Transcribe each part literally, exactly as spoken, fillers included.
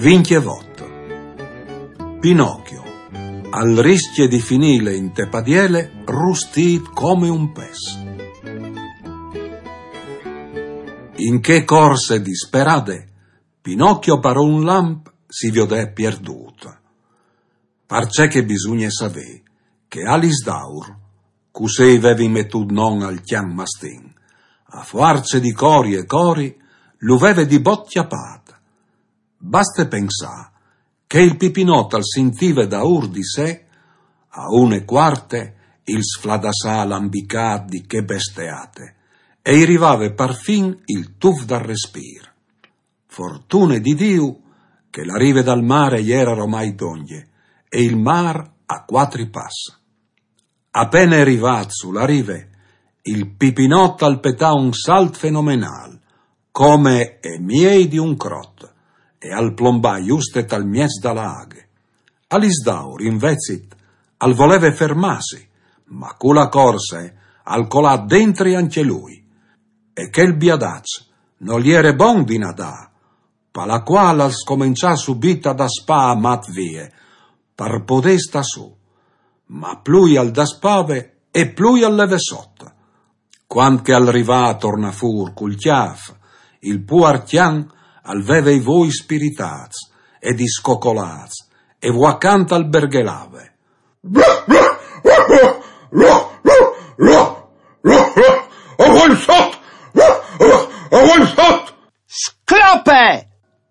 Vincjevot. Pinocchio, al riscje di finîle inte padiele, rustît come un pes. In chê corse disperade, Pinocchio par un lamp si viodè pierdût. Parcè che bisugne savê che Alisdaur, cussì i vevin metût non al cjan mastin, a fuarce di cori e cori, lu veve di bot cjapât. Baste pensâ che il Pipinot al sintive daûr di se, a une e cuarte, il sfladassâ lambicât di chê besteate, e i rivave parfin il tuf dal respîr. Fortune di Diu che la rive dal mâr e jere romai dongje, e il mâr a cuatri pas. Apene rivât su la rive, il Pipinot al petà un salt fenomenâl, come e miei di un crot, e al plombà juste tal mieç da la aghe. Alisdaur, invezit, al voleve fermâsi, ma cu la corse al colà dentri ancje lui. E chel biadaç nol jere bon di nadâ, pa la cuâl al scomençà subit a daspâ a mat vie, par podê stâ sù. Ma plui al daspave e plui al leve sot. Cuant che al rivà a tornâ fûr cul cjâf, il puar cjan al veve i voi spiritâts e discocolâts, e vuacant al berghelave: «Avuei sot! Avuei sot!» «Sclope!»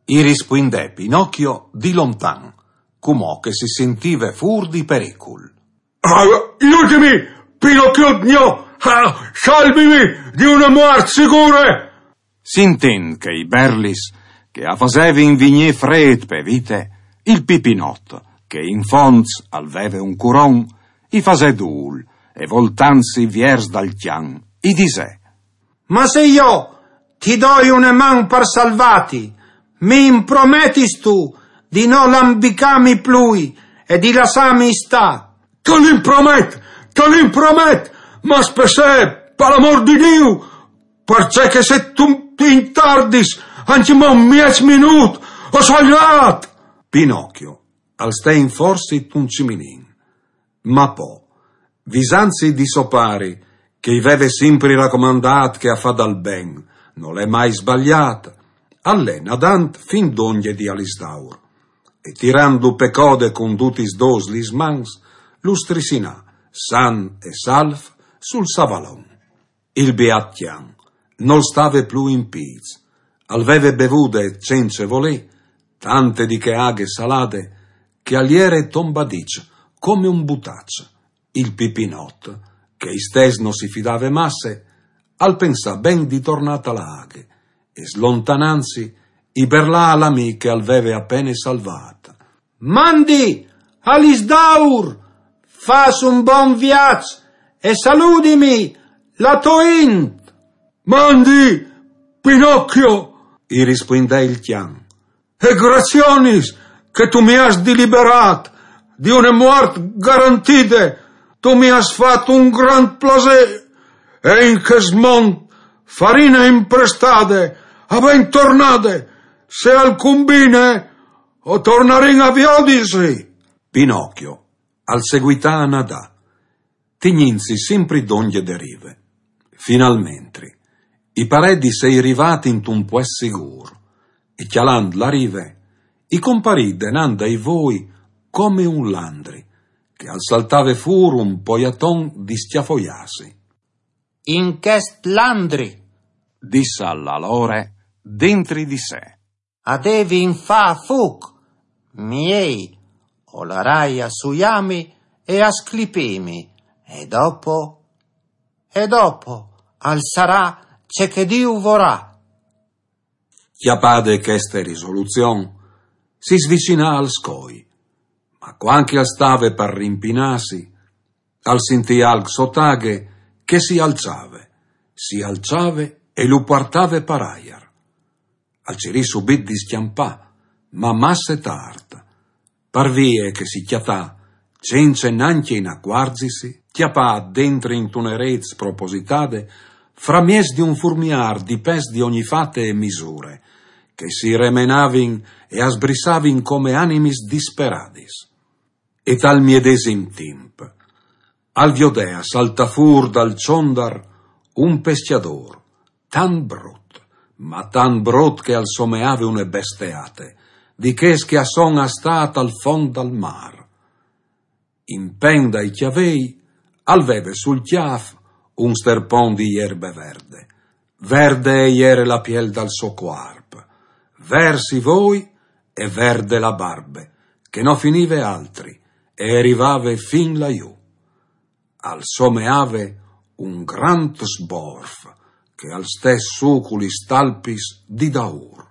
i rispuindè Pinocchio di lontan, cumò che si sintive fûr di pericul. «Ah, jutimi, Pinocchiut gno! Ah, salvimi di une muart sigure!» Sintint chei berlis che a fasevin vignî frêt pe vite, il Pipinot, che in fonts al veve un curon, i fasè dûl, e voltantsi viers dal cjan, i disè: «Ma se jo ti doi une man par salvâti, mi imprometistu di no lambicâmi plui e di lassâmi stâ?» «Te l'impromet, te l'impromet, ma spessee, par amôr di Diu, parcè che se tu ti intardis ancjemò un mieç minût, o soi lât!» Pinocchio al stè in forsit un ciminin. Ma po, visantsi di so pari, che i veve simpri racomandât che a fâ dal ben nol è mai sbaliât, al lè nadant fin dongje di Alisdaur, e tirantlu pe code cun dutis dôs lis mans, lu strissinà, san e salf, sul savalon. Il biat cjan nol stave plui in pîts, al veve bevude cence volê tante di chê aghe salade, che al jere tombadiç come un butaç. Il Pipinot, che istès no si fidave masse, al pensà ben di tornâ ta la aghe, e slontanantsi, i berlà a l'amì che al veve apene salvât: «Mandi, Alisdaur, fâs un bon viaç e saludimi la tô int!» «Mandi, Pinocchio!» i rispuindè il cjan. «E gracionis che tu mi âs diliberât di une muart garantide, tu mi âs fat un grant plasê, e in chest mont farine imprestade, a ben tornade, se al cumbine, o tornarìn a viodisi.» Pinocchio al seguità a nadâ, tignintsi simpri dongje de rive. Finalmentri, i parè di sei rivât intun puest sigûr, e cjalant la rive, i comparì denant dai voi come un landri, che al saltave fûr un poiaton di scjafoiâsi. «In chest landri», dissal alore dentri di se, «a devin fâ fûc, miei o larai a suiâmi e a sclipîmi, e dopo, e dopo al sarà ce che Diu vorà.» Cjapade cheste risoluzion, si svicinà al scoi, ma cuant che al stave par rimpinâsi, al sintì alc sot aghe che si alçave, si alçave e lu puartave par aiar. Al cirì subit di scjampâ, ma masse tart, par vie che si cjatà, cence nancje inacuarzisi, cjapât dentri intune rêt spropositade, framieç di un furmiâr di pes di ogni fate e misure, che si remenavin e a sbrissavin come animis disperadis. E tal miedesim timp al viodea saltà fûr dal çondar un pescjadôr, tant brut, ma tant brut che al someave une besteate, di chês che a son a stâ tal font dal mâr. In pent dai cjavei al veve sul cjâf un sterpon di jerbe verde. Verde e jere la piel dal so cuarp, vêrs i voi e verde la barbe, che no finive altri e e rivave fin lajù. Al someave un grant sborf che al stès sù cu lis talpis di daûr.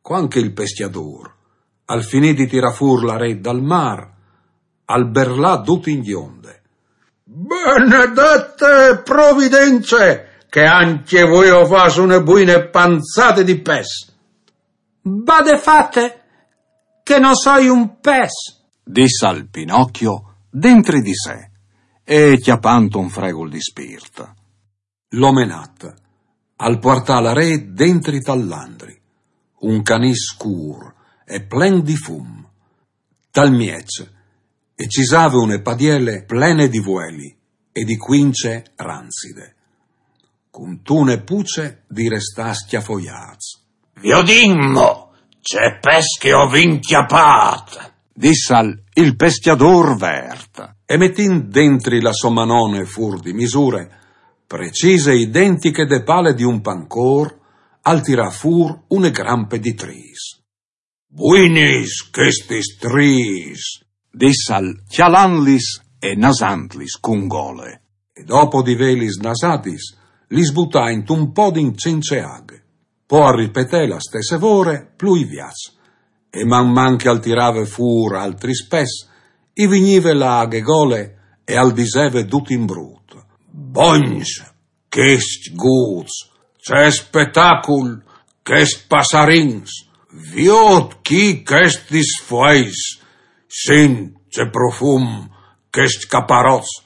Cuant che il pescjadôr al finì di tirâ fûr la rêt dal mâr, al berlà dut in gjonde: «Benedete providence, che ancje vuê o fâs une buine panzade di pes!» «Bade fate, che no soi un pes!» dissal Pinocchio dentri di se, e cjapant un fregul di spirt. L'omenat al puartà la rêt dentri tal landri, un canîs scûr e plen di fum. Tal mieç e cisave une padiele plene di vueli e di cuince ranzide. Cuntune puce di restâ scjafoiâts. «Viodìn mo ce pes che o vin cjapât!» dissal il pescjadôr vert. E metint dentri la sô manone fûr di misure, precise identiche de pale di un pancôr, al tirà fûr une grampe di trîs. «Buinis chestis trîs!» dissal cjalantlis e nasantlis cun gole. E dopo di vêlis nasadis, lis butà intun podin cence aghe. Po al ripetè la stesse vore plui viaç. E man man che al tirave fûr altris pes, i vignive la aghe gole e al diseve dut in brut: «Bogns chescj gûts, ce spetacul chescj passarins! Viôt chi chestis fueis, sint ce profum chescj caparots!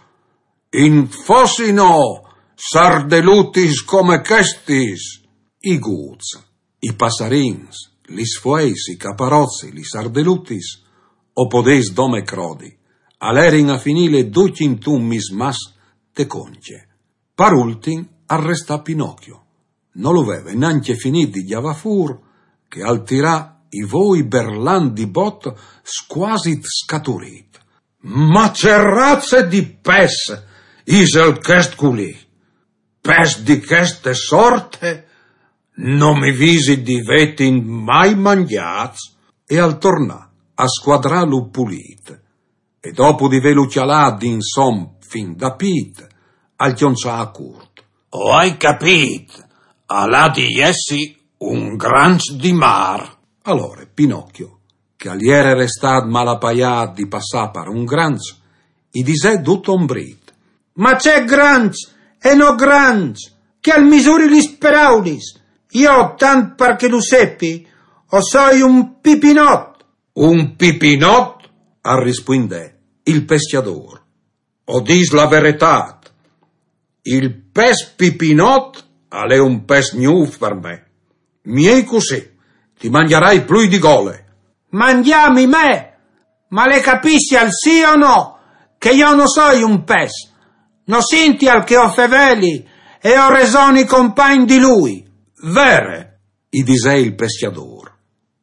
In fossino sardelutis come chestis!» I gûts, i passarins, lis fueis, i caparots, lis sardelutis, o podês dome crodi, a lerin a finîle ducj intun mismàs te conche. Par ultin al restà Pinocchio. No lu veve nancje finît di gjavâ fûr, che al tirà i voi berlant di bot, scuasit scaturît: «Ma ce raze di pes isal chest culì? Pes di cheste sorte no mi visi di vêtin mai mangjâts!» E al tornà a scuadrâlu pulît, e dopo di vêlu cjalât d'insom fin da pît, al cjonçà a curt: «O ai capît, al à di jessi un granç di mâr!» Alore Pinocchio, che al jere restât malapaiât di passâ par un granç, i disè dut ombrit: «Ma ce granç e no granç, che al misuri lis peraulis! Jo, tant par che lu sepi, o soi un pipinot!» «Un pipinot?» al rispuindè il pescjadôr. «O dîs la veretât, il pes pipinot al è un pes gnûf par me. Miei cussì, ti mangjarai plui di gole.» «Mangjâmi me? Ma le capissial sì o no, che jo no soi un pes? No sintial che o feveli e o resoni compagn di lui?» «Vere», i disè il pescjadôr.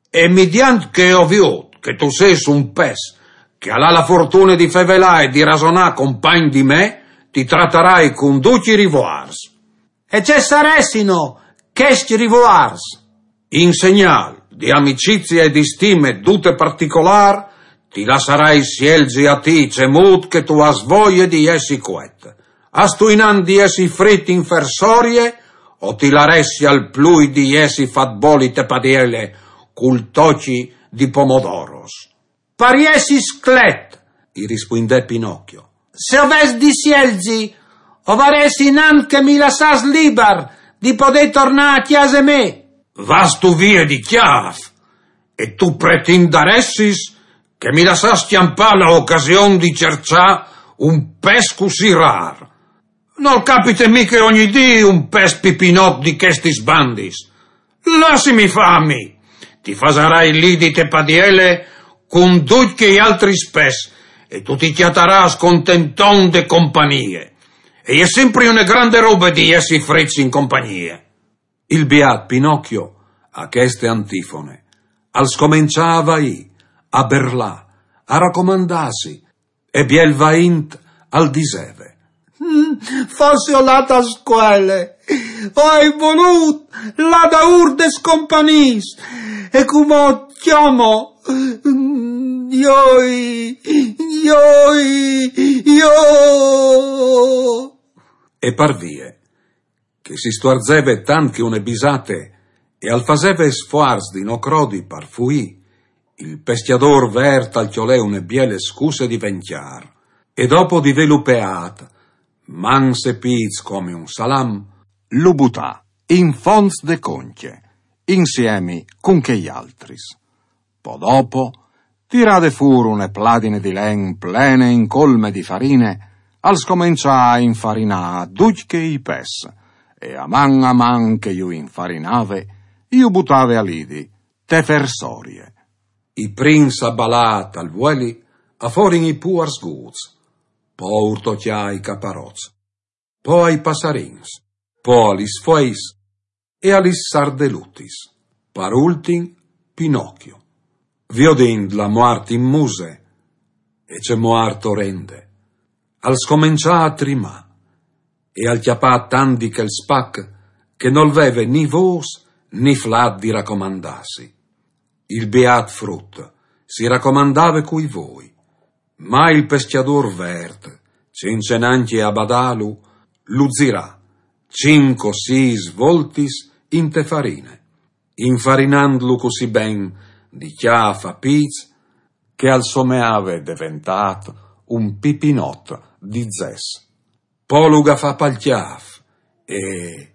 «E midiant che o viôt che tu sês un pes che al à la fortune di fevelâ e di rasonâ compagn di me, ti tratarai cun ducj i rivoârs.» «E ce saressino chescj rivoârs?» «In segnâl di amicizie e di stime dute particolâr, ti lassarai sielzi a ti cemût che tu âs voie di jessi cuet. Âstu inant di jessi frit in fersorie, o ti laressial plui di jessi fat boli te padiele cul tocji di pomodoros?» «Par jessi sclet», i rispuindè Pinocchio. «Se o ves di sielzi, o varès inant che mi lassàs libar di podê tornâ a cjase mê.» «Vâstu vie di cjâf, e tu pretindaressis che mi lassàs scjampâ la ocasion di cerçâ un pes cussì râr? Nol capite mighe ogni dì un pes pipinot di chestis bandis. Lassimi fâ a mi!» Ti fasarai lidi te padiele cun ducj chei altris pes, e tu ti cjatarâs contenton de compagnie. E je simpri une grande robe di jessi frits in compagnie. Il biât Pinocchio, a cheste antifone, al scomençà a vaî, a berlâ, a racomandâsi, e biel vaint al diseve: «Mm, fossi lât a scuele, o ai volût lâ daûr des companîs, e cumò cjomo, mm, joi, joi, jo.» E par vie, che si stuarzeve tant che une bisate e al faseve sfuarç di no crodi par fuî, il pescjadôr vert al cjolè une biele scusse di vencjâr, e dopo di vêlu peât, mans e pîts come un salam, lu butà in fonts de Concje, insiemi cun chei altris. Po dopo, tirade fûr une pladine di len plene in colme di farine, al scomençà a infarinâ ducj chei pes, e a man a man che ju infarinave, ju butave a lidi, te fersorie. I prins a balâ tal vueli a forin i puars gûts, po a urtocjâ i caparots, po ai passarins, po a lis fueis e a lis sardelutis. Par ultin, Pinocchio, viodint la muart in muse, e ce muart orende, al scomençà a trimâ, e al cjapà tant di chel spac che nol veve ni vôs ni flât di racomandâsi. Il biât frut si racomandave cui voi, ma il pescjadôr vert, cence nancje a badâlu, lu zirà cinc o sîs voltis inte farine, infarinandlu cussì ben di cjâf a pîts che al someave deventât un pipinot di zes. Po lu gafà pal cjâf e